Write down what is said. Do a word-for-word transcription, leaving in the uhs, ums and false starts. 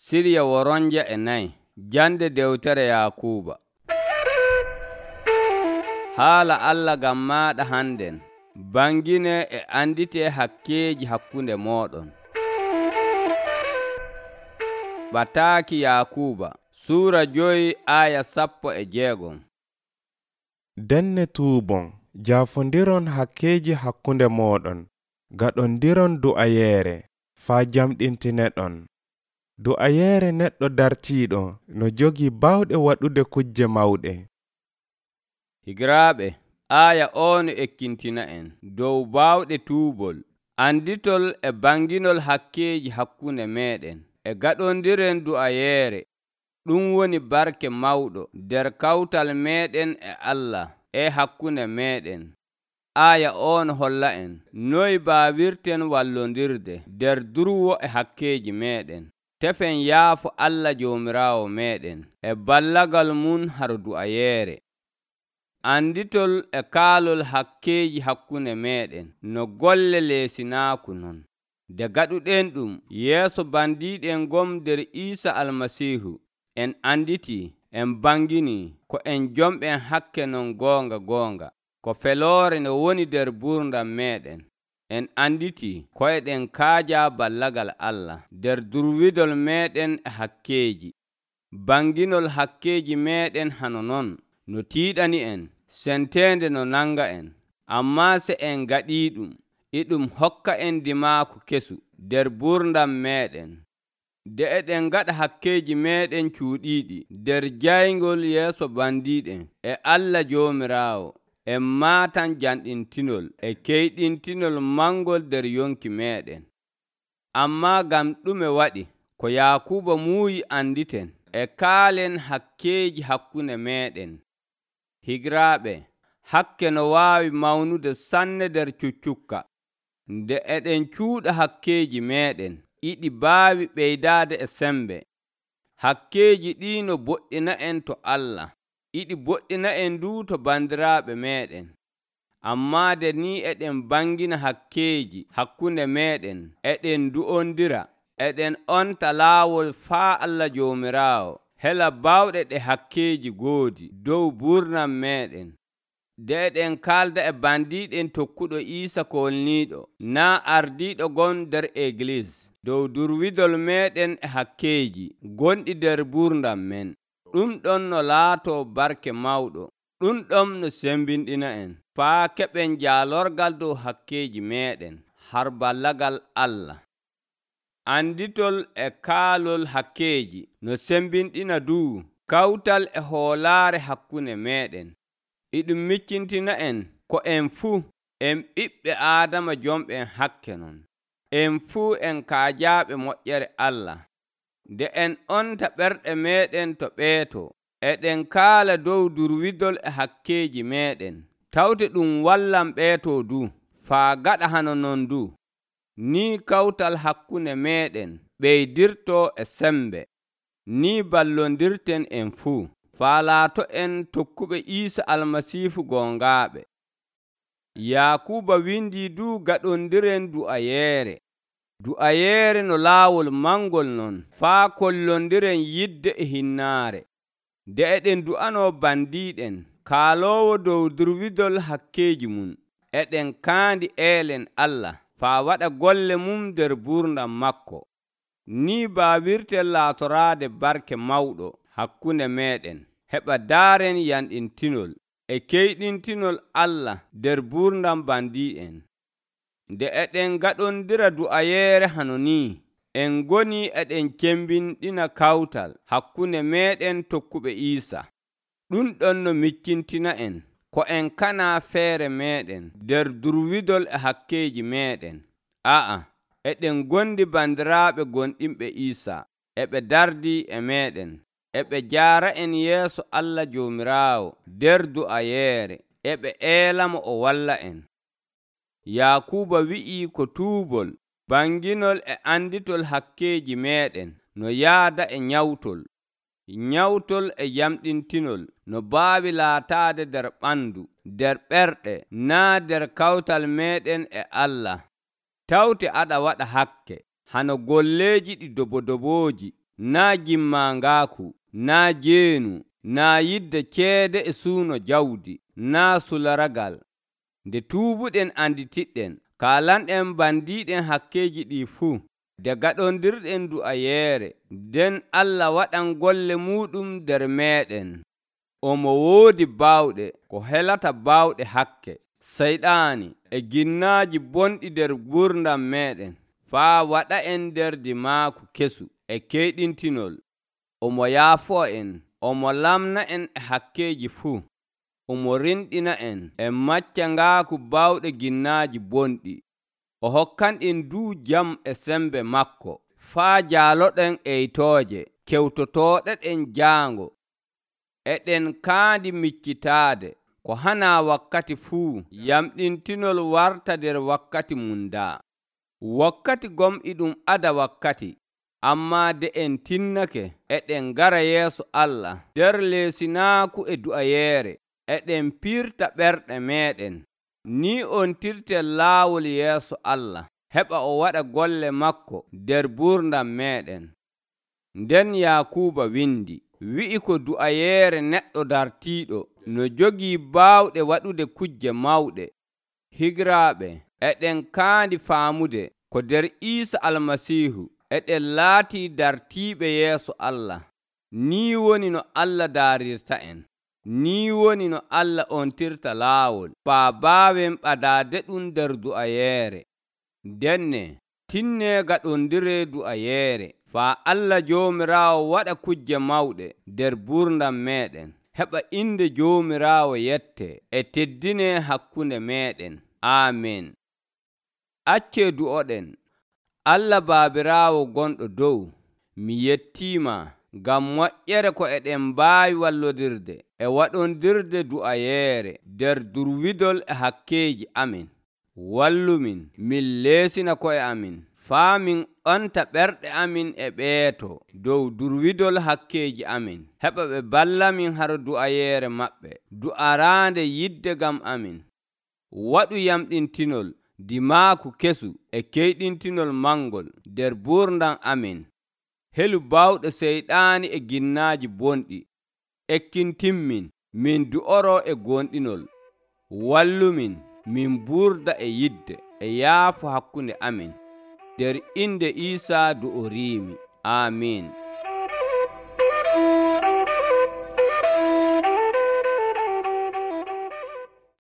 Sirya woronja e nayi. Jande dewtere Yakuuba. Haala Allah ngam maaɗa hannden. Bangine e andite hakkeeji hakkunde mooɗon. Bataaki Yakuuba Suura joyi aya sappo e jeegom. Denne tuubon jaafondiron hakkeeji hakkunde mooɗon, gaɗondiron du'ayeere faa jamɗintineɗon. Du'ayeere neɗɗo dartiiɗo no jogii baawɗe waɗude kujje mawɗe. Higiraaɓe, aya on ekkintina en dow baawɗe tuubol, anditol e banginol hakkeeji hakkunde meeɗen, e gaɗondiren du'ayeere. Ɗum woni barke mawɗo nder kawtal meeɗen e Allah e hakkunde meeɗen. Aya on holla en noy baawirten wallondirde nder durwo e hakkeeji meeɗen. Tefen yaafo Allah Joomiraawo meeɗen e ballagal mum har du'ayeere. Anditol e kaalol hakkeeji hakkunde meeɗen no golle leesinaaku non. Nde gaɗuɗen ɗum yeeso bandiiɗen gom nder Iisa Almasiihu, en anditi, en bangini ko en jomɓen hakke non goonga goonga, ko feloore no woni nder buurdam meeɗen. En anditi koyɗen kaaja ballagal Allah nder durwidol meeɗen e hakkeeji. Banginol hakkeeji meeɗen hano non no tiiɗani en, senteende no nanga en. Ammaa se en gaɗii ɗum, iɗum hokka en dimaaku kesu nder buurdam meeɗen. Nde eɗen gaɗa hakkeeji meeɗen cuuɗiiɗi nder jayngol yeeso bandiiɗen e Allah Joomiraawo, en maatan janɗintinol e keyɗintinol mangol nder yonki meeɗen. Ammaa ngam ɗume waɗi ko Yakuuba muuyi anditen e kaalen hakkeeji hakkunde meeɗen. Higiraaɓe, hakke no waawi mawnude sanne nder cuccukka. Nde eɗen cuuɗa hakkeeji meeɗen, iɗi baawi ɓeydaade e sembe. Hakkeeji ɗi no boɗɗina en to Allah, iɗi boɗɗina en du to bandiraaɓe meeɗen. Ammaa nde ni eɗen bangina hakkeeji hakkunde meeɗen, eɗen du'ondira, eɗen onta laawol faa Allah Joomiraawo hela baawɗe ɗe hakkeeji goodi dow buurnam meeɗen. Nde eɗen kaalda e bandiiɗen tokkuɗo Iisa kolniiɗo, naa ardiiɗo gon nder Egliis, dow durwidol meeɗen e hakkeeji gonɗi nder buurdam men. Ɗum ɗon no laatoo barke mawɗo, ɗum ɗon no sembinɗina en, faa keɓen jaalorgal dow hakkeeji meeɗen har ballagal Allah. Anditol e kaalol hakkeeji no sembinɗina duu kawtal e hoolaare hakkunde meeɗen. Iɗum miccintina en ko en fuu en ɓiɓɓe Aadama jomɓen hakke non. En fuu en kaajaaɓe moƴƴere Allah. Nde en onta ɓerɗe meeɗen to ɓeeto, eɗen kaala dow durwidol e hakkeeji meeɗen. Tawde ɗum wallan ɓeeto du, faa gaɗa hano non du. Ni kawtal hakkunde meeɗen ɓeydirto e sembe. Ni ballondirten en fuu, faa laato en tokkuɓe Iisa Almasiihu gongaaɓe. Yakuuba windi du gaɗondiren du'ayeere. Du'ayeere no laawol mangol non, faa kollondiren yidde e hinnaare. Nde eɗen du'anoo bandiiɗen, kaaloowo dow durwidol hakkeeji mum, eɗen kaandi eelen Allah, faa waɗa golle mum nder buurdam makko. Ni baawirten laatoraade barke mawɗo hakkunde meeɗen, heɓa daaren yanɗintinol e keyɗintinol Allah nder buurdam bandiiɗen. Nde eɗen gaɗondira du'ayeere hano ni, en ngoni eɗen cembinɗina kawtal hakkunde meeɗen tokkuɓe Iisa. Ɗum ɗon no miccintina en ko en kana feere meeɗen nder durwidol e hakkeeji meeɗen. A'a, eɗen gondi bandiraaɓe gonɗinɓe Iisa, eɓe dardi e meeɗen, eɓe jaara en yeeso Allah Joomiraawo nder du'ayeere, eɓe eelamo o walla en. Yakuuba wi'i ko tuubol, banginol e anditol hakkeeji meeɗen no yaada e nyawtol. Nyawtol e yamɗintinol no baawi laataade nder ɓandu, nder ɓerɗe, naa nder kawtal meeɗen e Allah. Tawte aɗa waɗa hakke, hano golleeji ɗi dobodobooji, naa gimmangaaku, naa jeenu, naa yidde ceede e suuno jawdi, naa sularagal. Nde tuubuɗen anditiɗɗen, kaalanɗen bandiiɗen hakkeeji ɗi fuu, nde gaɗondirɗen du'ayeere, nden Allah waɗan golle muuɗum nder meeɗen. Omo woodi baawɗe ko helata baawɗe hakke, Sayɗaani e ginnaaji bonɗi nder gurdam meeɗen, faa waɗa'en nder dimaaku kesu e keyɗintinol. Omo yaafo'en, omo lamna'en e hakkeeji fuu, omo rinɗina'en e maccangaaku baawɗe ginnaaji bonɗi. O hokkanɗen duu jam e sembe makko, faa jaaloɗen eytooje, kewtotooɗeɗen jaango, eɗen kaandi miccitaade, ko hanaa wakkati fuu yamɗintinol warta nder wakkati mum daa. Wakkati gom'iɗum ada wakkati, ammaa de en tinnake, eɗen ngara yeeso Allah nder leesinaaku e du'ayeere, eɗen piirta ɓerɗe meeɗen. Ni on tirten laawol yeeso Allah, heɓa o waɗa golle makko nder gurdam meeɗen. Nden Yaakuuba windi, wi'i ko du'ayeere neɗɗo dartiiɗo no jogii baawɗe waɗude kujje mawɗe. Higiraaɓe, eɗen kaandi faamude ko nder Iisa Almasiihu eɗen laatii dartiiɓe yeeso Allah. Nii woni no Allah daarirta'en. Nii woni no Allah ontirta laawol faa baawen ɓadaade ɗum nder du'ayeere. Ndenne tinnee gaɗondiree du'ayeere faa Allah Joomiraawo waɗa kujje mawɗe nder gurdam meeɗen, heɓa inde Joomiraawo yette e teddinee hakkunde meeɗen. Aamen. Accee du'oɗen. Allah Baabiraawo gonɗo dow, mi yettiima ngam moƴƴere ko eɗen mbaawi wallodirde e waɗondirde du'ayeere nder durwidol e hakkeeji amin. Wallumin min leesina ko'e amin, faa min ɓanta ɓerɗe amin e ɓeeto dow durwidol hakkeeji amin, heɓa ɓe ballamin har du'ayeere maɓɓe, du'araande yidde gam amin. Waɗu yamɗintinol, dimaaku kesu e keyɗintinol mangol nder gurdam amin. Helu baawɗe Seyɗaani e ginnaaji bonɗi. Ekkintinmin min du'oroo e gonɗinol. Wallumin min burda e yidde e yaafo hakkunde amin. Nder inde Iisaa du'oriimi. Aamin.